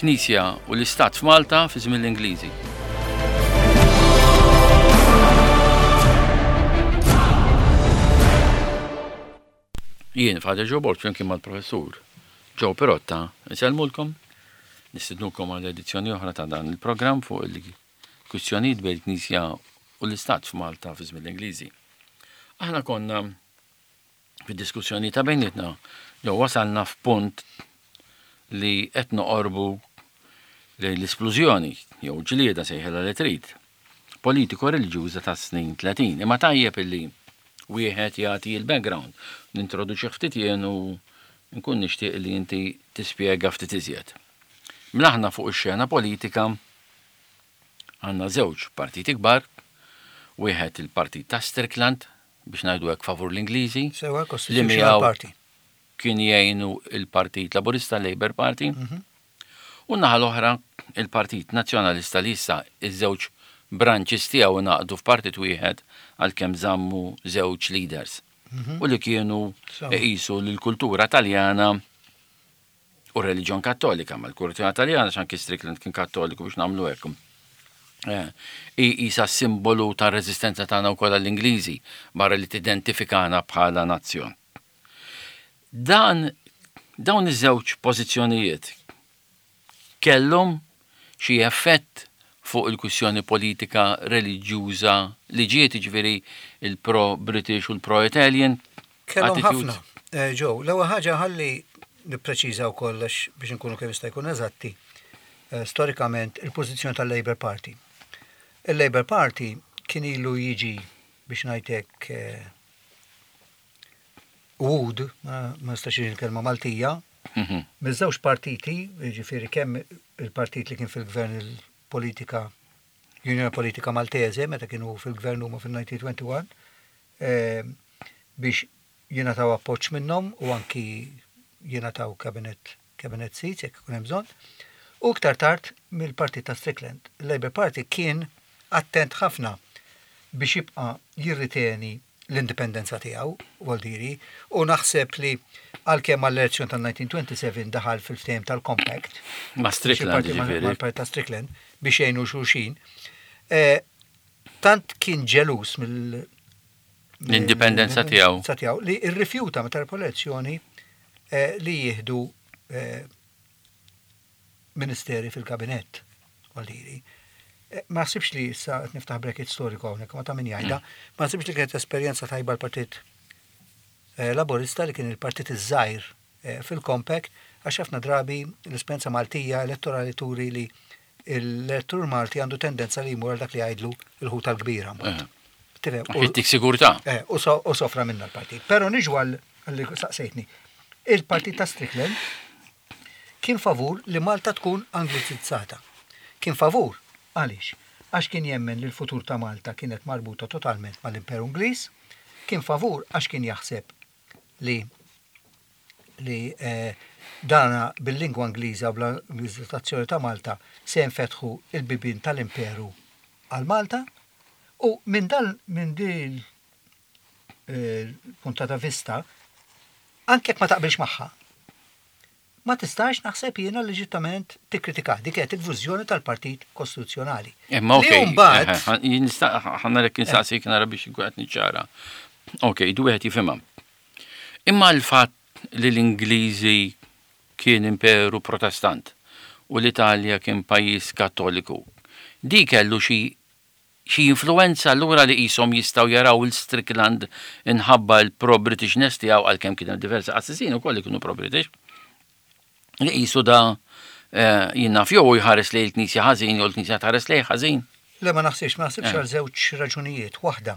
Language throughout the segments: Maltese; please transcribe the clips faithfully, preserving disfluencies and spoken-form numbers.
Il-Knisja u l-Istat f'Malta fi żmien l-Ingliżi. Jien Father Joe Borg flimkien mal-professur Joe Pirotta nsellmulkom, nistednukom għal edizzjoni oħra ta' dan il-programm fuq il-kwistjonijiet bejn il-Knisja u l-Istat f'Malta fi żmien l-Ingliżi. Aħna konna fid-diskussjoni ta' bejnietna jew wasalna f'punt li qed noqorbu lejn l-isplużjoni jew ġlieda sejħilha li trid politiko reliġjuża tas-snin tletin. Imma tajjeb illi wieħed jagħti l-background. Nintroduċi ftit jien u nkun nixtieq li inti tispjega ftit iżjed. Mela aħna fuq ix-xena politika għandna żewġ partiti kbar, wieħed il-partit ta' Strickland biex ngħidu hekk favur l-Ingliżi, Sewa, li Constitutional miegħu Party. kien jgħinu il-Partit Laburista, Labour Party, u naħa l-oħra il-Partit Nazzjonalista li issa iż-żewġ branches tiegħu ngħaqdu f'partit wieħed għalkemm żammu żewġ leaders. U li kienu Sewa. iqisu l-kultura Taljana u r-reliġjon Kattolika, ma l-kultura Taljana x'anki Strickland kien Kattoliku biex nagħmlu hekk. Eh, Isa simbolu ta' reżistenza tagħna wkoll għall-Ingliżi barra li tidentifikana bħala nazzjon. Dan dawn iż-żewġ pożizzjonijiet kellhom xi effett fuq il-kwistjoni politika reliġjuża li ġiet, jiġifieri il-pro-British u l-pro-Italian Kellhom attitudes? ħafna. Eh, Joe, l-ewwel ħaġa ħalli nippreċiża wkoll għax biex inkunu kemm jista' jkun eżatti. eh, Storikament il-pożizzjoni tal-Labour Party. Il-Labour Party kien ilu jiġi biex ngħidlek eh, wooed, ma ma nistax il-kelma Maltija, Mhm. miż-żewġ partiti, jiġifieri kemm il-partit li kien fil-gvern il-politika Union Politika Maltese, meta kienu fil-gvern huma fil-elf disa' mija u wieħed u għoxrin, eh, biex jingħataw appoġġ minnhom u anki jingħataw cabinet cabinet seats jekk ikun hemm bżonn. U iktar tard mill-partit ta' Strickland. Il-Labour Party kien attent ħafna biex jibqa' jirriteni l-indipendenza tiegħu, Waldiri, u naħseb li għalkemm għall-elezzjoni tal-elf disa' mija u sbatax daħal fil-ftehim tal-Compact, Ma' Strickland, xi parti ma- jiġifieri. mal-partit ta' Strickland biex jgħinu xulxin. Eh, Tant kien ġelus mill L-indipendenza tiegħu. mill-indipendenza tiegħu li rrifjuta meta rebħu l-elezzjoni eh, li jieħdu eh, ministeri fil-kabinett, Waldiri. Eh, Ma naħsibx li issa qed niftaħ bracket storiku hawnhekk, ma ta' min jgħidha, ma naħsibx li kienet esperjenza tajba l-Partit eh, Laburista li kien il-partit iż-żgħir eh, fil-Compact għax ħafna drabi l-esperjenza Maltija elettorali turi li l-elettur Malti għandu tendenza li jmur għal dak li jgħidlu il-ħuta l-kbira. mbagħad. Eh. Tifhem? U- Jittik sigurtà. Eh, u so- u sofra minna l-partit. Pero niġu għal li saqsejtni. Il-partit ta' Strickland kien favur li Malta tkun anglicizzata. Kien favur, għaliex? Għax kien jemmen li l-futur ta' Malta kienet marbuta totalment mal-Imperu Ingliż, kien favur għax kien jaħseb li li eh, dana bil-lingwa Ingliża u bl-Anglizzazzjoni ta' Malta se jinfetħu il-bibien tal-Imperu għal Malta u minn dal minn din eh, punta ta' vista anke jekk ma taqbilx magħha ma tistax naħseb jiena leġittament tikkritika dik kienet il-viżjoni tal-Partit Kostituzzjonali. Imma Li okej, mbagħad ħanna lek insaqsik nara biex nkun qed niċċara. Okej, du wieħed jifhimha. Imma l-fatt li l-Ingliżi kien imperu protestant u l-Italja kien pajjiż kattoliku, di kellu xi xi influenza allura li qishom jistgħu jaraw il-Strickland inħabba l-pro-Britishness tiegħu għalkemm kien hemm diversi qassisin ukoll li kienu pro-British. Li qisu da eh, jien naf jew jħares lejn il-Knisja ħażin jew l-Knisja tħares lejn ħażin. Le ma naħsibx, ma naħsibx Eh. għal żewġ raġunijiet. Waħda,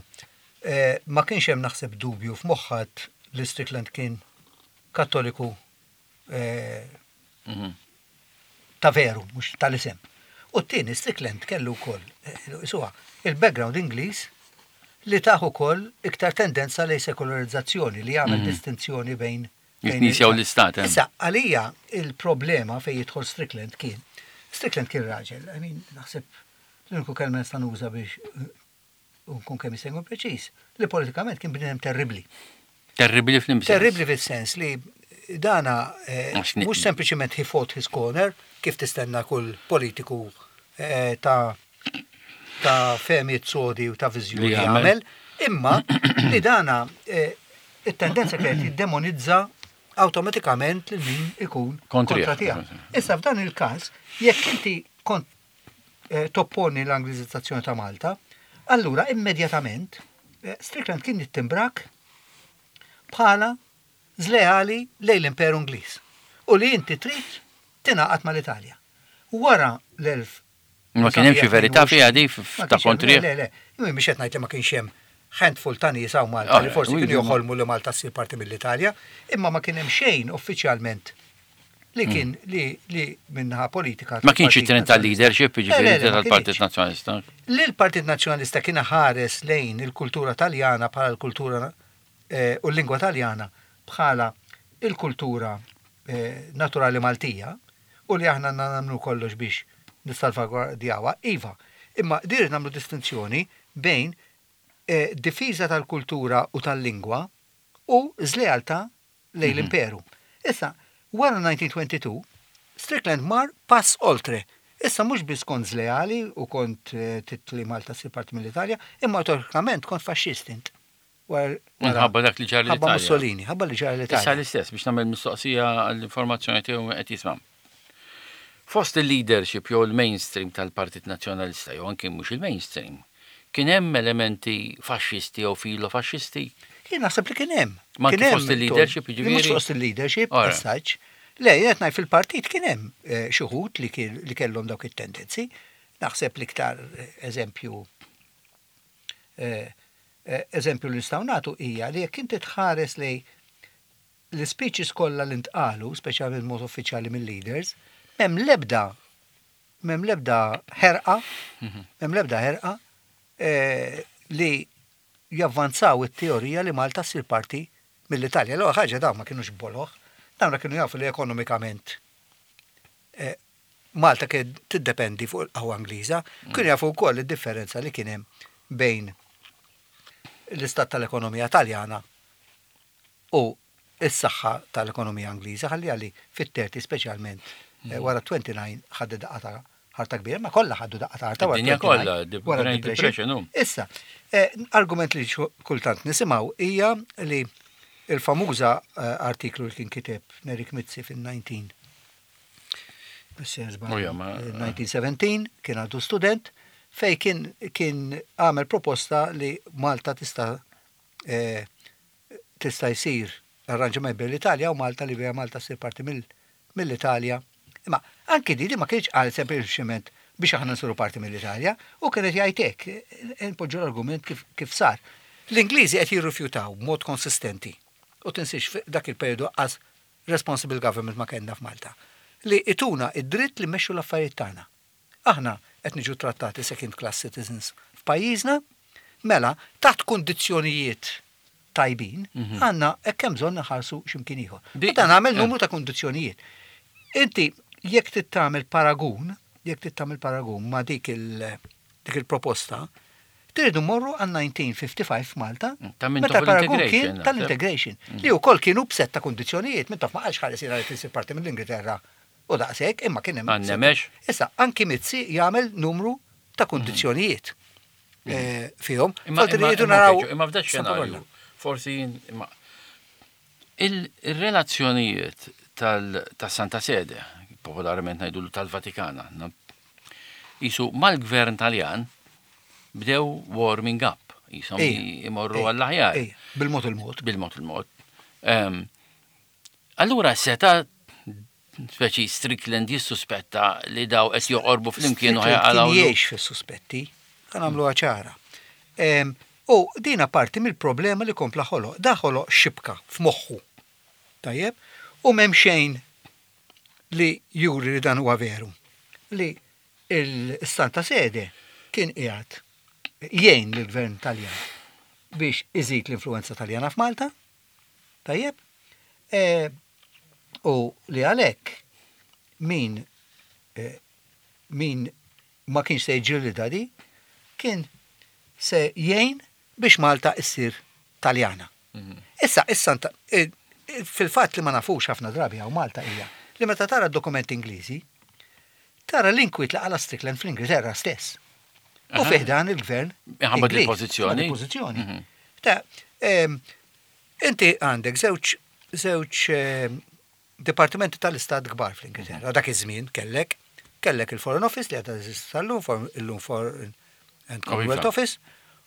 eh, ma kienx hemm naħseb dubju f'moħħat li Strickland kien kattoliku eh, Mhm. ta' veru, mhux tal-isem. U t-tieni Strickland kellu wkoll, eh, isuha, il-background Ingliż li taħ ukoll iktar tendenza lejn sekolarizzazzjoni li jagħmel distinzjoni bejn bejn Il-Knisja u l-Istat, eh. Issa, għalija il-problema fejn jidħol Strickland kien, Strickland kien raġel, I mean, naħseb l-uniku kelma nista' nuża biex eh, nkun kemm jista' jkun preċiż, li politikament kien bniedem terribli. Terribli fl-imsens. Terribli fis-sens li dana eh, Għax ni- mhux sempliċement he fought his corner, kif tistenna kull politiku eh, ta' ta' fehmiet sodi u ta' viżjoni Li jagħmel. jagħmel, imma li dana eh, it-tendenza kienet jiddemonizza awtomatikament lil min ikun Kontrih. kontra tiegħek. Issa f'dan il-każ, jekk inti kont eh, topponi l-Anglizizzazzjoni ta' Malta, allura immedjatament eh, Strickland kien jittimbrak bħala żleali lejn l-Imperu Ingliż u li inti trid tingħaqad mal-Italja. Wara l-elf Ma kien hemm xi verità fiha di f- Ma ta' kienx hemm, kontrih? Le, le, le, mhux qed ngħid li ma kienx hemm handful ta' nies hawn Malta Ah, li forsi u kienu jdu- joħolmu li Malta ssir parti mill-Italja, imma ma kien hemm xejn uffiċjalment li kien li li minnaħa politika. Ma kienx tal-Partit it-trend tal-leadership, Le, le, jiġifieri le, ma tal-Partit kienx. Nazzjonalista. Li l-Partit Nazzjonalista kien ħares lejn il-kultura taljana bħala l-kultura eh, u l-lingwa taljana bħala il-kultura eh, naturali Maltija u li aħna għandna nagħmlu kollox biex nissalvagwardjawha, iva. Imma dir nagħmlu distinzjoni bejn eh, difiża tal-kultura u tal-lingwa u żlealtà lejn l-imperu. Issa, wara elf disa' mija u tnejn u għoxrin, Strickland mar pass oltre. Issa mhux biss kont żleali u kont eh, titli Malta ssir parti mill-Italja, imma automatikament kont faxxist int. Wara- wara- Minħabba dak li ġara ħabba l-Italja. Mussolini, ħabba li ġara Issa l-Italja. l-istess biex nagħmel mistoqsija għall-informazzjoni tiegħu qed jisma'. Fost il-leadership jew il-mainstream tal-Partit Nazzjonalista jew anke mhux il-mainstream, kien hemm elementi faxxisti jew filo-faxxisti? Jien naħseb li kien hemm. Ma Kien anke hemm fost il-leadership, Li jiġifieri? Mhux fost il-leadership, Ora. as such. Le, jien qed ngħid fil-partit kien hemm eh, xi wħud li kien- li kellhom dawk it-tendenzi. Naħseb l-iktar eh, eżempju eh, eh, eżempju li nistgħu nagħtu hija li jekk inti tħares lej l-speeches kollha li ntqalu, speċjalment mod uffiċjali mill-leaders, m'hemm l-ebda m'hemm l-ebda ħerqa, m'hemm l-ebda ħerqa eh, li javvanzaw it-teorija li Malta ssir parti mill-Italja. L-ewwel ħaġa dawn ma kienux boloh, dawn kienu jafu li ekonomikament eh, Malta kien tiddependi fuq il-qawwa Ingliża, kienu jafu wkoll id-differenza li kien hemm bejn l-istat tal-ekonomija Taljana u s-saħħa tal-ekonomija Ingliża ħalli għalli fit-thirty speċjalment eh, wara disgħa u tletin ħaddu daqqa ta' ħarta kbira, ma kollha ħaddu daqqa ta' ħarta wara Id-dinja tnejn u tletin, kollha, the wara Great Depression. Depression, hu. Issa, eh, argument li xu- kultant nisimgħu hija li il-famuża eh, artiklu li kien kiteb Nerik Mizzi fil-nineteen U ja, ma- elf disa' mija u sbatax kien għadu student fej kien kien għamel proposta li Malta tista' eh, tista' jsir arranġament bejn l-Italja u Malta li bija Malta ssir parti mill- mill-Italja. Imma anki di li ma kienx qal sempliċement biex aħna nsiru parti mill-Italja u kienet jgħid hekk, eh, npoġġu l-argument kif, kif sar. L-Ingliżi qed jirrifjutaw b'mod konsistenti u tinsiex dak il-periodu as responsible government ma kellna f'Malta li ituna id-dritt li mmexxu l-affarijiet tagħna. Aħna qed niġu trattati second class citizens f'pajjiżna, mela taħt kundizzjonijiet tajbin, għandna hekk hemm bżonn naħarsu x'imkien ieħor. Di- U dan għamel eh. numru ta' kundizzjonijiet. Inti jekk trid tagħmel paragun, jekk trid tagħmel paragun ma' dik il dik il-proposta, tridu morru għal elf disa' mija u ħamsa u ħamsin f'Malta, Ta' Mintoff meta l-paragun l-integration, kien naħseb. tal-integration, li wkoll kienu b'sett ta' kundizzjonijiet, Mintoff ma qalx ħares jiena li tisir parti mill-Ingilterra u daqshekk, imma kien hemm. Għannemex. Issa, anki Mizzi jagħmel numru ta' kundizzjonijiet eh, fihom. Imma Forsi imma- rridu imma naraw. Peġu, Imma f'da xenarju, forsi jien- imma il- il-relazzjonijiet tal ta' Santa Sede, popolarment ngħidu tal-Vatikana, na- jisu mal-gvern Taljan bdew warming up, jisom Ejja, imorru ejja, għall-aħjar ejja, Bil-mod il-mod. bil-mod il-mod. Ehm, Allura seta speċi Strickland jissuspetta li daw qed joqorbu flimkien u Strickland kien ħajqalgħu. jgħix fis-suspetti, ħa nagħmluha ċara. Em, U dina parti mill-problema li kompla ħoloq. Da ħoloq xibka f'moħħu. Tajjeb? U m'hemm xejn li juri li dan huwa veru. Li il-Santa Sede kien qiegħed jgħin lill-gvern Taljan biex iżid l-influenza Taljana f'Malta. Tajjeb? E, u li għalhekk min eh, min ma kienx se jġilida di, kien se jgħin biex Malta issir Taljana. Issa, issa, nta- eh, eh, fil-fatt li ma nafux ħafna drabi għaw Malta hija li meta tara dokumenti Ingliżi, Tara l-inkwiet li qala Strickland fl-Ingilterra stess. U fi ħdan il-gvern. Minħabba Ingliż, il-pożizzjoni. minħabba il-pożizzjoni. Ta' em, inti għandek żewġ żewġ em, dipartimenti tal-istat kbar fl-Ingilterra. Dak iż-żmien kellek kellek il-Foreign Office li għadha teżisti sal-lum, for- illum Foreign and Commonwealth iva. Office,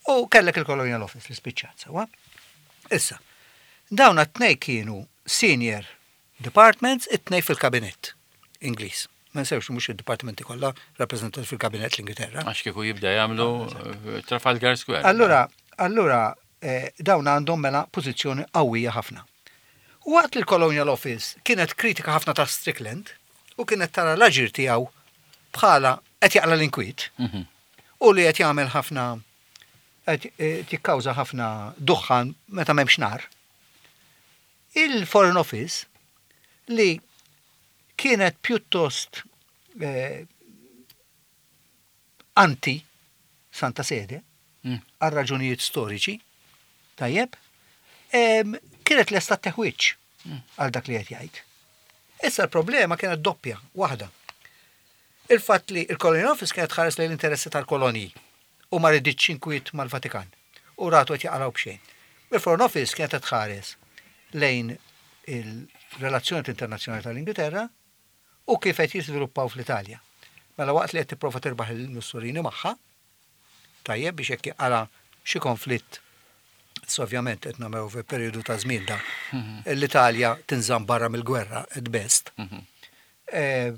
u kellek il-Colonial Office li spiċċat sewwa. Issa, dawn it-tnej kienu senior departments, it-tnej fil-kabinett Ingliż. Ma nsewx mhux id-dipartimenti kollha rappreżentati fil-kabinett l-Ingilterra. Għax kieku jibda jagħmlu eh, Trafalgar Square. Allura, allura eh, dawn għandhom mela pożizzjoni qawwija ħafna. U waqt li l-Colonial Office kienet kritika ħafna ta' Strickland u kienet tara l-aġir tiegħu bħala qed jaqla l-inkwiet Mhm. u li qed jagħmel ħafna qed eh, tikkawża ħafna duħħan meta m'hemmx nar. Il-Foreign Office li kienet pjuttost eh, anti Santa Sede Mm. għal raġunijiet storiċi, tajjeb, em, kienet lesta teħwiċ għal dak li qed jgħid. Issa l-problema kienet doppja, waħda. Il-fatt li il-Colonial Office kienet ħares lejn l-interessi tal-kolonji u ma riditx inkwiet mal-Vatikan u ratu qed jaqalgħu b'xejn. Il-Foreign Office kienet qed tħares lejn il-relazzjoni internazzjonali tal-Ingilterra u kif qed jiżviluppaw fl-Italja. Mela waqt li qed tipprova tirbaħ il-Mussolini magħha, tajjeb biex jekk jaqala xi konflitt. So ovvjament qed nagħmlu fi perjodu ta' żmien da. L-Italja tinżamm barra mill-gwerra at best. Eh,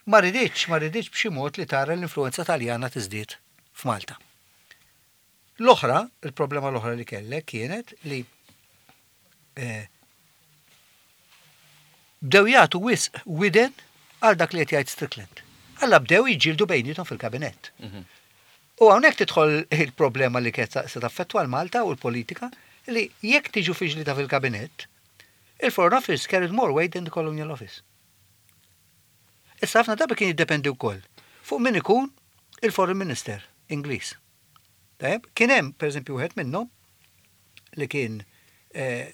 Ma riditx, ma riditx b'xi mod li tara l-influenza Taljana tiżdied f'Malta. L-oħra, il-problema l-oħra li kellek kienet li eh, bdew jagħtu wisq widen għal dak li qed jgħid Strickland. Alla bdew jiġġieldu bejniethom fil-kabinett. U hawnhekk tidħol il-problema li kienet se taffettwa l-Malta u l-politika li jekk tiġu fi ġlieda fil-kabinett, il-Foreign Office carried more weight than the Colonial Office. Issa ħafna drabi kien jiddependi wkoll fuq min ikun il-Foreign Minister Ingliż. Tajjeb, kien hemm pereżempju wieħed minnhom li kien eh,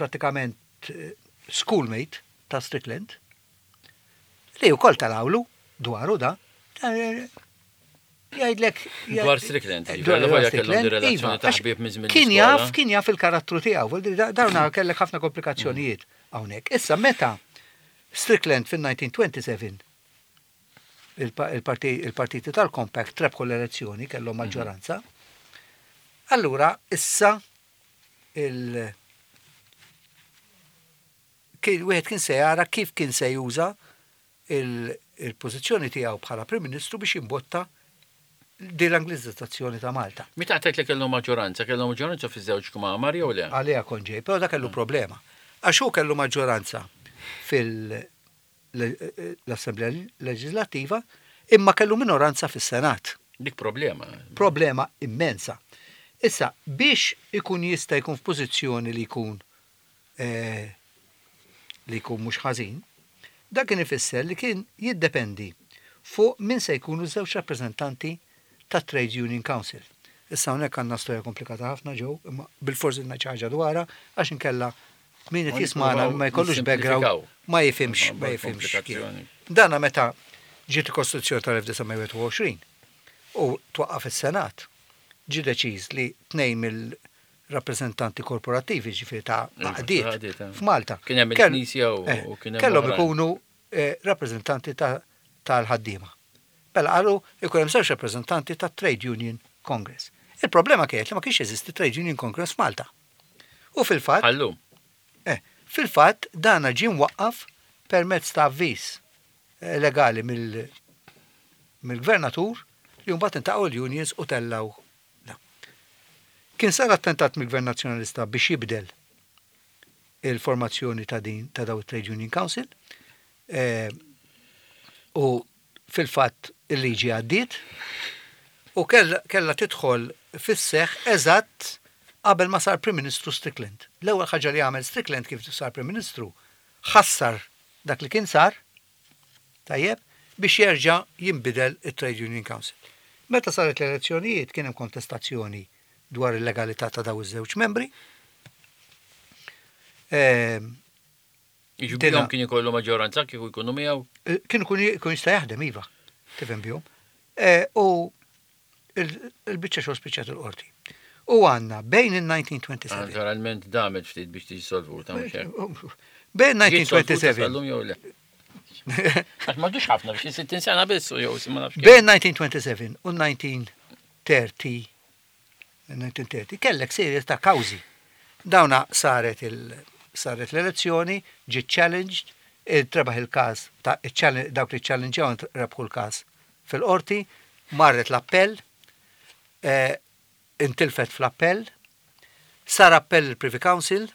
pratikament eh, schoolmate ta' Strickland li wkoll talawlu dwaru da. Eh, Jgħidlek. Dwar Strickland, Eh, jiġifieri, dwar volja kellhom Strickland, di relazzjoni iva, ta' għax ħbieb minn żmien Kien l-iskola. jaf, kien jaf il-karattru tiegħu, vuol dire, da- dawna kellek ħafna komplikazzjonijiet hawnhekk. Issa meta Strickland fin-elf disa' mija u disgħa u għoxrin il-pa- il-parti- il-partiti tal-Compact rebħu l-elezzjoni, kellhom maġġoranza. Allura issa il kien wieħed kien se jara kif kien se juża il- il-pożizzjoni tiegħu bħala Prim Ministru biex jimbotta din l-Anglizzazzjoni ta' Malta. Meta għedt li kellhom maġġoranza, kellhom maġġoranza fiż-żewġ kmamar jew le? Għalija kont ġej, però da kellu problema. Għax hu kellu maġġoranza fil-Assemblea Leġislattiva, imma kellu minoranza fis-Senat. Dik problema. Problema immensa. Issa, biex ikun jista' jkun f'pożizzjoni li jkun eh, li jkun mhux ħażin, dak kien ifisser li kien jiddependi fuq min se jkunu żewġ rappreżentanti ta' Trade Union Council. Issa hawnhekk għandna storja komplikata ħafna ġew, imma bilforsi xi ħaġa dwarha għax inkella min qed Ma jismana ma jkollux background nisimplifikaw. ma jifhimx ma Ma jifhimx. kif. komplikazzjoni. Dana meta ġiet il-Kostituzzjoni tal-elf disa' mija u wieħed u għoxrin u twaqqaf is-Senat, ġi deċiż li tnejn mill-rappreżentanti korporattivi ġifieri ta' Iva, għaqdiet għaqdiet, eh. f'Malta. Kien hemm Kell- il-Knisja u- eh, u kien hemm Kellhom oħrajn. ikunu eh, rappreżentanti ta- tal-ħaddiema. Mela qalu ikun hemm żewġ rappreżentanti ta' Trade Union Congress. Il-problema kienet li ma kienx jeżisti Trade Union Congress f'Malta. U fil-fatt Għallu. Eh, fil-fatt dana ġie mwaqqaf permezz ta' avviż eh, legali mill- mill-gvernatur li mbagħad intaqgħu l-unions u tellaw. Da. Kien sar attentat mill-Gvern Nazzjonalista biex jibdel il-formazzjoni ta' din ta' daw it-Trade Union Council eh, u fil-fatt il-liġi għaddiet u kella, kella tidħol fis-seħ eżatt qabel ma sar Prim Ministru Strickland. L-ewwel ħaġa li għamel Strickland kif sar Prim Ministru ħassar dak li kien sar, tajjeb, biex jerġa' jinbidel it-Trade Union Council. Meta saret l-elezzjonijiet kien hemm kontestazzjoni dwar il-legalità ta' daw iż-żewġ membri. Ehm, Iġbihom kien ikollu maġġoranza kieku jkunu miegħu? Eh, Kienu kun kun jista' jaħdem iva, tifhem bihom. Eh, U il-biċċa xogħol spiċċat il-qorti. U għandna bejn il-elf disa' mija u seba' u għoxrin Naturalment damet ftit biex tiġi solvuta, mhux hekk? Bejn Ġiet solvuta elf disa' mija u seba' u għoxrin sal-lum jew le? Għax m'għadux ħafna biex sittin sena biss jew ma nafx kemm. Bejn elf disa' mija u seba' u għoxrin u elf disa' mija u tletin, elf disa' mija u tletin kellek serje ta' kawżi. Dawna saret il saret l-elezzjoni, ġiet challenged, trebaħ il-każ ta' il-challenge- dawk li challengeaw rebħu l-każ fil-qorti, marret l-appell, eh, intilfet fl-appell, sar appell il-Privy Council,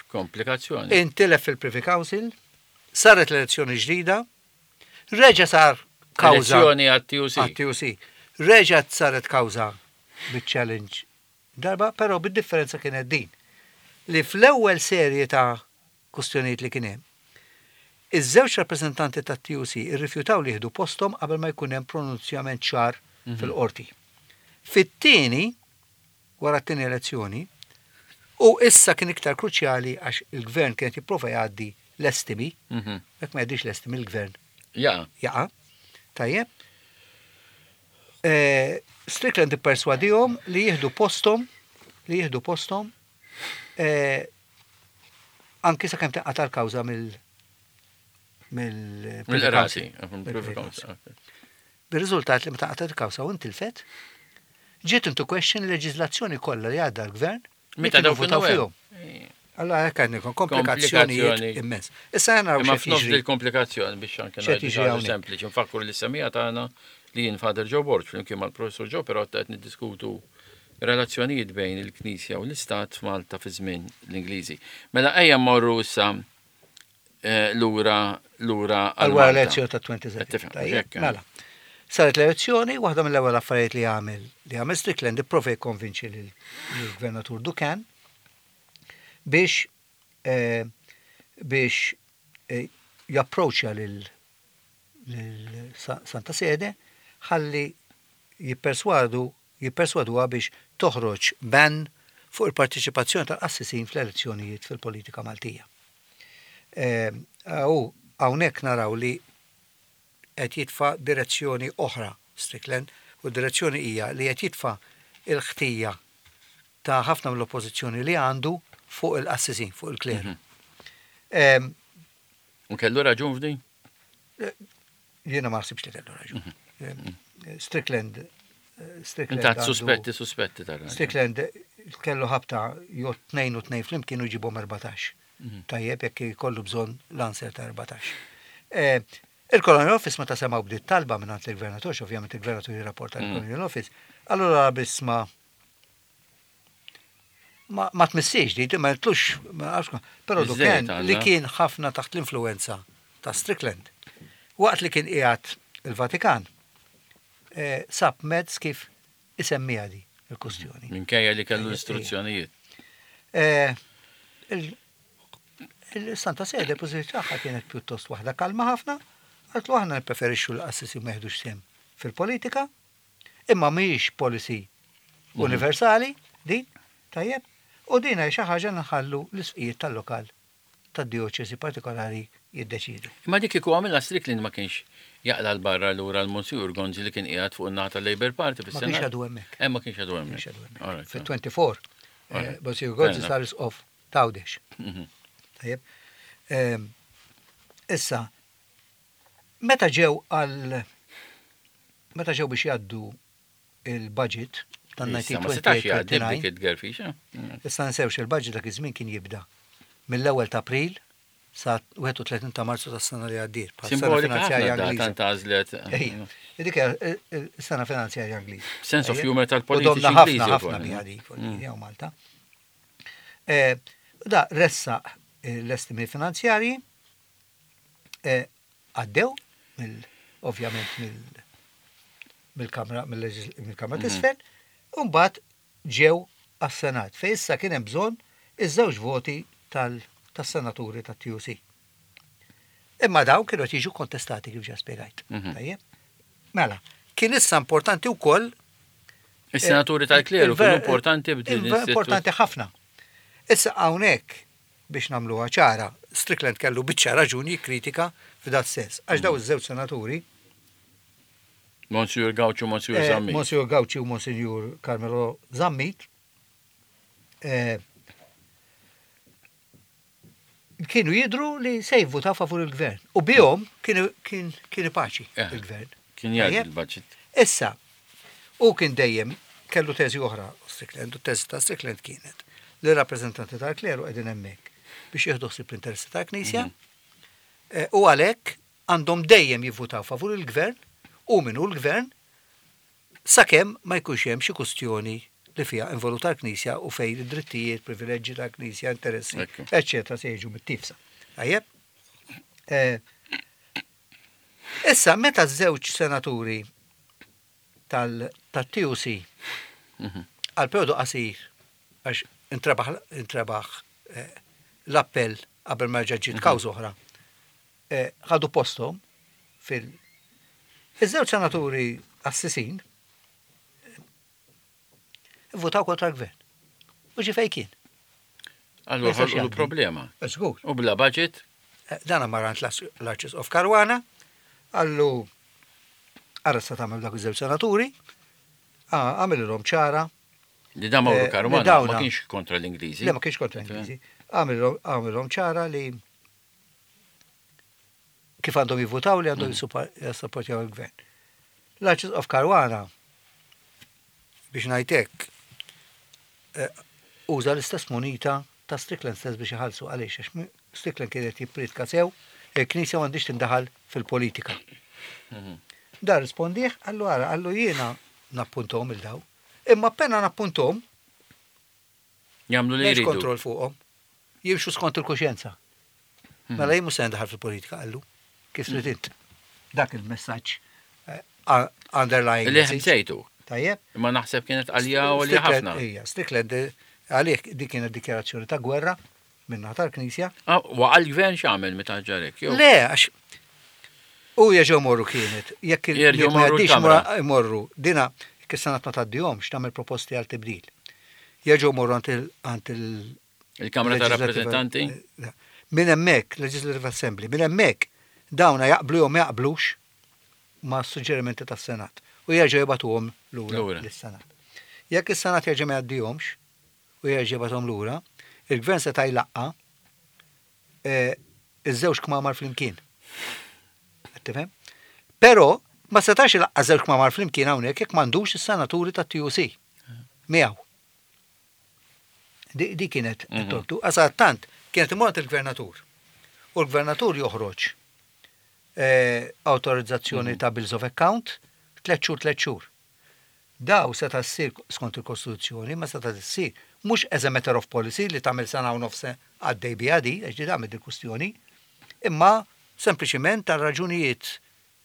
Komplikazzjoni. intilef fil-Privy Council, saret l-elezzjoni ġdida, reġa sar kawża Elezzjoni għat-T U C. għat-T U C. Reġa saret kawża bit-challenge darba, però bid-differenza kienet din. Li fl-ewwel serje ta' kustjonijiet li kien hemm, iż-żewġ rappreżentanti tat-T U C irrifjutaw li jieħdu postom qabel ma jkun hemm pronunzjament ċar fil-qorti. Fit-tieni, wara t-tieni elezzjoni, u issa kien iktar kruċjali għax il-gvern kien jipprova jgħaddi l-estimi, Mhm. jekk ma jgħaddix l-estimi il-gvern Ja, jaqa', tajjeb. Eh, Strickland ipperswadihom li jieħdu postom, li jieħdu postom, eh, anki sakemm tinqata' l-kawża mill mill mill-qrati. Mill-Privy Council. Bir-riżultat li meta qatgħet il-kawża u intilfet, ġiet into question il-leġiżlazzjoni kollha li għadda l-gvern li Meta kienu dawk votaw kienu fihom. Allora hekk għandek komplikazzjonijiet Komplikazzjoni. immens. Issa naraw Imma x'qed f'nofs jiġri. il-komplikazzjoni biex anke X'qed ngħidu jiġri xi ħaġa hawnhekk. sempliċi. Nfakkur li semija tagħna li jien Father Joe Borg flimkien mal-Professor Joe però qed niddiskutu relazzjonijiet bejn il-Knisja u l-Istat f'Malta fi żmien l-Ingliżi. Mela ejja mmorru issa eh, lura lura Għal wara Malta. l-elezzjoni ta' twenty-seven. Qed tifhem, Tajjeb, hekk, eh? mela. Saret l-elezzjoni, waħda mill-ewwel affarijiet li għamel li għamel Strickland ipprova jikkonvinċi lill-gvernatur Ducan biex eh, biex eh, japproċċja lil lil Sa- Santa Sede ħalli jipperswadu jipperswaduha biex toħroġ ban fuq il-partiċipazzjoni tal-qassisin fl-elezzjonijiet fil-politika Maltija. Eh, U hawnhekk naraw li qed jitfa' direzzjoni oħra Strickland, u d-direzzjoni hija li qed jitfa' il-ħtija ta' ħafna mill-oppożizzjoni li għandu fuq il-qassisin, fuq il-kleru. Em, U kellu raġun f'din? Jiena ma ħsibx li kellu raġun. Em, Strickland eh, Strickland Inta għandu- suspetti, suspetti tar Strickland kellu ħabta jo tnejn u tnejn flimkien u jġibhom erbatax. Tajjeb, jekk jkollu bżonn l-answer ta' erbatax. Eh, Il-Colonial Office meta semgħu bdiet talba minn il-gvernatur, ovvjament il-gvernatur jirrapporta l-Colonial Office, allura biss ma ma, ma tmissiex di, ma tlux, ma nafx, però Biżżejjed Ducan li għandha. kien ħafna taħt l-influenza ta' Strickland. Waqt li kien qiegħed il-Vatikan, eh, sab mezz kif isemmiha di il-kustjoni. Minkejja li kellu l-istruzzjonijiet. Eh, il- Il-Santa Sede pożizzjoni tagħha kienet pjuttost waħda kalma ħafna, qaltlu aħna nippreferixxu l-qassisin ma jeħdux sehem fil-politika, imma mhijiex policy universali din, tajjeb, u din hija xi ħaġa nħallu l-isqfijiet tal-lokal tad-dioċesi partikolari jiddeċidu. Imma dik kieku għamilha Strickland ma kienx jaqla l-barra lura l-Monsignor Gonzi li kien qiegħed fuq in-naħa tal-Labour Party Ma fis-Senat. kienx għadu hemmhekk. Eh, ma kienx għadu hemmhekk. Kienx għadu hemmhekk. All right. Fil-twenty-four, eh, Alright. Monsignor Gonzi Fair sar isqof t'Għawdex. Mhm. Tajjeb. Ehm, Issa, meta ġew għal meta ġew biex jgħaddu il-budget Issa, ma setax jgħaddi tan-elf disa' mija tnejn u tletin b'dik it-tgerfixa. Mm. Issa nsewx il-budget dak iż-żmien kien jibda mill-ewwel ta' April sa wieħed u tletin ta' Marzu tas-sena li għaddiet, bħal sena Simbolika ħafna finanzjarja data Ingliża. ntgħażlet. Ejja, dik hija s-sena finanzjarja Ingliża. Sense of Ejja. humor U tal-politiċi domna ħafna Ingliżi ħafna wkoll. biha dik, Mm. jew Malta. Eh, Da ressaq eh, l-estimi finanzjarji eh, għaddew mill ovvjament mill mill-Kamra mill-leġis- mill-Kamra t'Isfel, u mbagħad ġew għas-Senat fejn issa kien hemm bżonn iż-żewġ voti tal- tas-senaturi tat-T U C. Imma dawn kienu qed jiġu kontestati kif ġa spjegajt. Mhm. Tajjeb? Mela, kien issa importanti wkoll Is-senaturi tal-kleru il-ver- kienu importanti b'din il- Importanti ħafna. Issa hawnhekk Biex nagħmluha ċara, Strickland kellu biċċa raġuni jikkritika f'dat sens. Għax daw iż-żewġ senaturi, Monsieur Gauci u Monsieur eh, Zammit. Monsieur Gauci u Monsignor Carmelo Zammit, eh, kienu jidru li se jivvutaw favur il-gvern. U bihom kienu kien kien paċi Eh. il-gvern. Kien jgħaddi Tajjeb? il-budget. Issa, u kien dejjem kellu teżi oħra Strickland, u teżi ta' Strickland kienet li rappreżentanti tal-kleru qegħdin hemmhekk biex jieħdu ħsieb l-interessi tal-Knisja eh, u għalhekk għandhom dejjem jivvutaw favur il-gvern u min hu l-gvern sakemm ma jkunx hemm xi kustjoni li fiha involuta l-Knisja u fejn id-drittijiet, privileġġi tal-Knisja, interessi, Ekku. eccetera, se jiġu mit-tifsa. Tajjeb? Eh, Issa, meta żewġ senaturi tal-T U C Mhm. għal periodu qasir, għax intrebaħ intrebaħ eh, l-appell qabel ma ġiet kawża oħra, eh, ħadu postom fil- Iż-żewġ senaturi assisin eh, votaw kontra l-gvern. U ġi fej kien. Allura Ma jistax ħolqu jgħaddi. problema. Żgur. U bla budget, Eh, Dana mar għand l-Arċisqof Caruana, qallu ara sa tagħmel dak iż-żewġ senaturi, għamilhom ċara, li da Mauro Eh, li Caruana dawna- ma kienx kontra l-Ingliżi. Le, ma kienx kontra Ingliżi. Għamilhom ċara li kif għandhom jivvutaw, li għandhom jissupportjaw il-gvern. L-Arċisqof Caruana, biex ngħidlek, eh, uża l-istess munita ta' Strickland stess biex iħallsu. Għaliex? Għax mi- Strickland kienet jippritka sew, il-Knisja m'għandix tindaħal fil-politika. Mhm. Da rispondih, qallu ara, qallu jiena nappuntom il-daw. Imma appena nappuntom, Jagħmlu li m'hemmx jridu. kontroll fuqhom. Jimxu skont il-kuxjenza. Mhm. Mela jien mhux se ndaħal fil-politika, qallu. Kif trid int. Dak il-messaġġ eh, uh, underlying Li message. ħbsejtu. Tajjeb. Imma naħseb kienet għalija u għalija Strickland- ħafna. Ija, Strickland eh, għalih dik kienet dikjarazzjoni ta' gwerra minna tal-Knisja. Ah, Waqa l-gvern x'għamel meta ġarek? Jew Le, għax u jerġgħu morru kienet. Jekk il- Jerġgħu jekk ma morru jgħaddix l-Kamra. mora- imorru. Dina, jekk is-Senat ma tgħaddihomx, tagħmel proposti għal tibdil. Jerġgħu morru għand il- għand il- il-Kamra ta' Legislative- Rappresentanti? eh, Minn hemmhekk, Legislative Assembly, minn hemmhekk dawna jaqblu jew ma jaqblux ma' suġġerimenti tas-Senat u jerġgħu jibagħtuhom lura Lura. lis-Senat. Jekk is-Senat jerġa' ma jgħaddihomx u jerġa' jibgħathom lura, il-gvern seta' jlaqqa eh, iż-żewġ kmamar flimkien. Qed tifhem? Però ma setax ilaqqa żewġ kmamar flimkien hawnhekk jekk m'għandux is-senaturi tat-T U C miegħu. Di, di kienet Mhm. it-tortu. Għax tant kienet imur il-gvernatur. U l-gvernatur joħroġ eh, autorizzazzjoni ta' bills of account tliet xhur, tliet xhur. Daw seta' ssir skont il-Kostituzzjoni, ma seta' ssir mhux as a matter of policy li tagħmel sena u nofs għaddej biha di, għax di tagħmel il-kustjoni, imma sempliċiment tal raġunijiet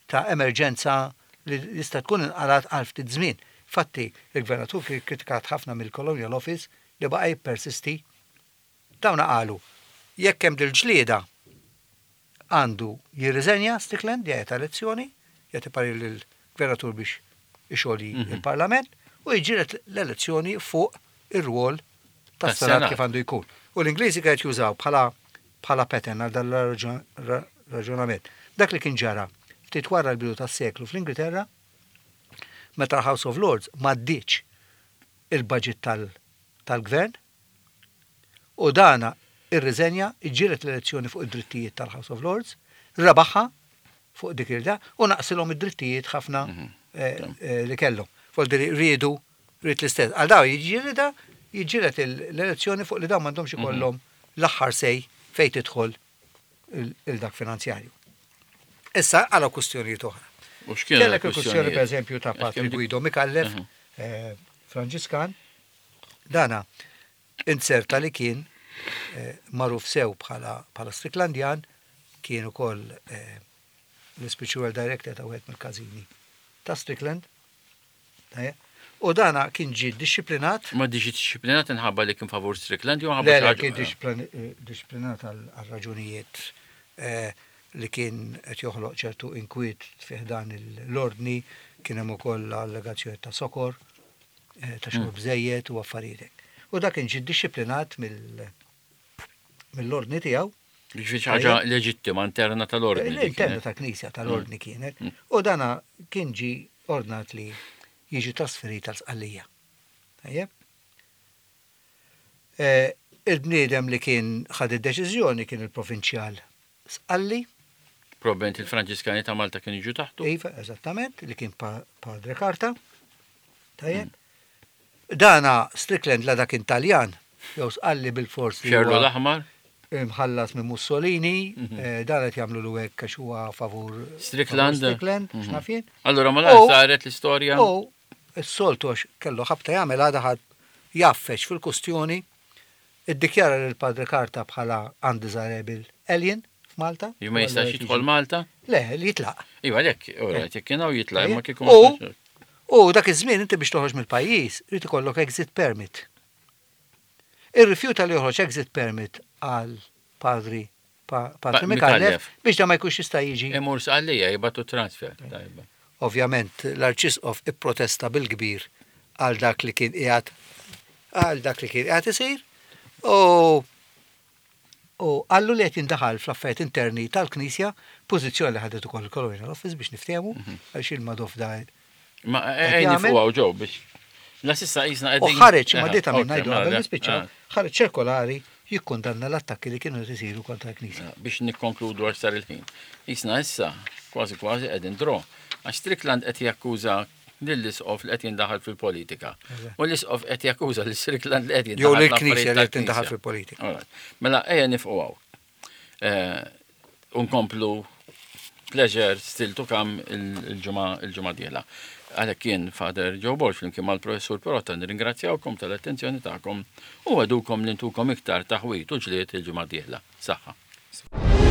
ta' emerġenza li jista' tkun inqalat għal ftit żmien. Fatti, il-gvernatur kien kritikat ħafna mill-Colonial Office li baqa' jippersisti. Dawna qalu, jekk hemm dil-ġlieda għandu jirriżenja Strickland, jgħid elezzjoni, jagħti parir lill-gvernatur biex ixolji Mhm. il-Parlament u jiġġieled l-elezzjoni fuq ir-rwol tas-Senat Tas-Senat. kif għandu jkun. U l-Ingliżi kienet jużaw bħala bħala pattern għal dan raġunament. Dak li kien ġara ftit wara l-bidu tas-seklu fl-Ingilterra, meta l-House of Lords m'għaddietx il-budget tal- tal-gvern u dana irriżenja, iġġieled l-elezzjoni fuq id-drittijiet tal-House of Lords, rebaħha fuq dik il-da u naqsilhom id-drittijiet ħafna Mhm. eh, eh, li kellhom. Fuq li riedu rrid l-istess. Għal daw jiġġielida jiġġieled l-elezzjoni fuq li dawn m'għandhomx ikollhom l-aħħar say fejn tidħol il-dak finanzjarju. Issa għala kustjonijiet oħra. U x'kienu Kellek il-kustjoni per eżempju ta' Għax Patri kemm dik- Guido Micallef, Mhm. eh, Franġiskan, dana inserta li kien eh, magħruf sew bħala bħala Stricklandjan, kien ukoll eh, l-spiritual director ta' wieħed mill-każini ta' Strickland. Tajjeb. U dana kien ġi disciplinat. Ma diġi disciplinat inħabba li kien favur Strickland jew ħabba Le, xi le, ħaġa- kien disciplin- eh, disciplinat għal għal raġunijiet eh, li kien qed joħloq ċertu inkwiet fih dan l-ordni, kien hemm ukoll allegazzjoni ta' sokor, eh, ta' xorb żejjed u affarijiet hekk. U dak kien ġie disciplinat mill mill-ordni tiegħu. Ġifieri xi ħaġa leġittima interna tal-ordni. dik L-interna kienet. ta' knisja tal-ordni kienet. U dana kien ġi ordnat li jiġi trasferit għal Sqallija. Tajjeb? Eh, Il-bniedem li kien ħad id-deċiżjoni kien il-provinċjal Sqalli, Probabbilment il-Franġiskani ta' Malta kienu jiġu taħtu. Iva, eżattament, li kien pa- Padre Carta. Tajjeb? Dana Strickland la dak Taljan, jew Sqalli bil-fors li Xerlu huwa l-aħmar, imħallas minn Mussolini, eh, dan qed jagħmlu lu hekk għax huwa favur Strickland. favur Strickland, Mhm. x'naf jien. Allora ma U- saret l-istorja. U s-soltu għax kellu ħabta jagħmel għada ħadd jaffeċ fil-kustjoni, iddikjara lil Padre Carta bħala undesirable alien f'Malta. Ju ma jistax jidħol Malta. Le, li jitlaq. Iva lek, ora, jekk kien hawn jitlaq, imma kieku ma U- jistax. U dak iż-żmien inti biex toħroġ mill-pajjiż, irid ikollok exit permit. Irrifjuta li joħroġ exit permit għal padri pa, Padri Pa- Micallef Micallef. biex da ma jkunx jista' jiġi. Imur Sqallija jibgħatu transfer. Tajba. Ovvjament l-Arċisqof ipprotesta bil-kbir għal dak li kien qiegħed għal dak li kien qiegħed isir u u qallu li qed jindaħal fl-affarijiet interni tal-Knisja, pożizzjoni li ħadet ukoll il-Colonial Office biex niftehmu għaliex il-Madoff da Ma Qed ejn jagħmel? fuqgħu ġew biex. La sissa qisna U qegħdin. ħareġ ma Aha, dita minn ok, ngħidu mela, qabel da- nispiċċaw, ah, ħareġ ċirkolari jikkundanna l-attakki li kienu qed isiru kontra l-Knisja. ah, Biex nikkonkludu għax sar il-ħin. Qisna issa kważi kważi qegħdin draw. Għax Strickland qed jakkuża lill-isqof li qed jindaħal fil-politika. U l-isqof qed jakkuża lil Strickland li qed jindaħal Jew lill-Knisja fl-affarijiet li qed tindaħal tal-Knisja. fil-politika. Alright. Mela ejja nifqu hawn. Eh, Unkomplu pleasure still to come il-ġimgħa il-ġimgħa dieħla. Għalhekk kien Father Joe Borg flimkien mal-Professur Pirotta nirringrazzjawkom tal-attenzjoni tagħkom u għadukom li ntukom iktar taħwit u ġlied il-ġimgħa dieħla. Saħħa.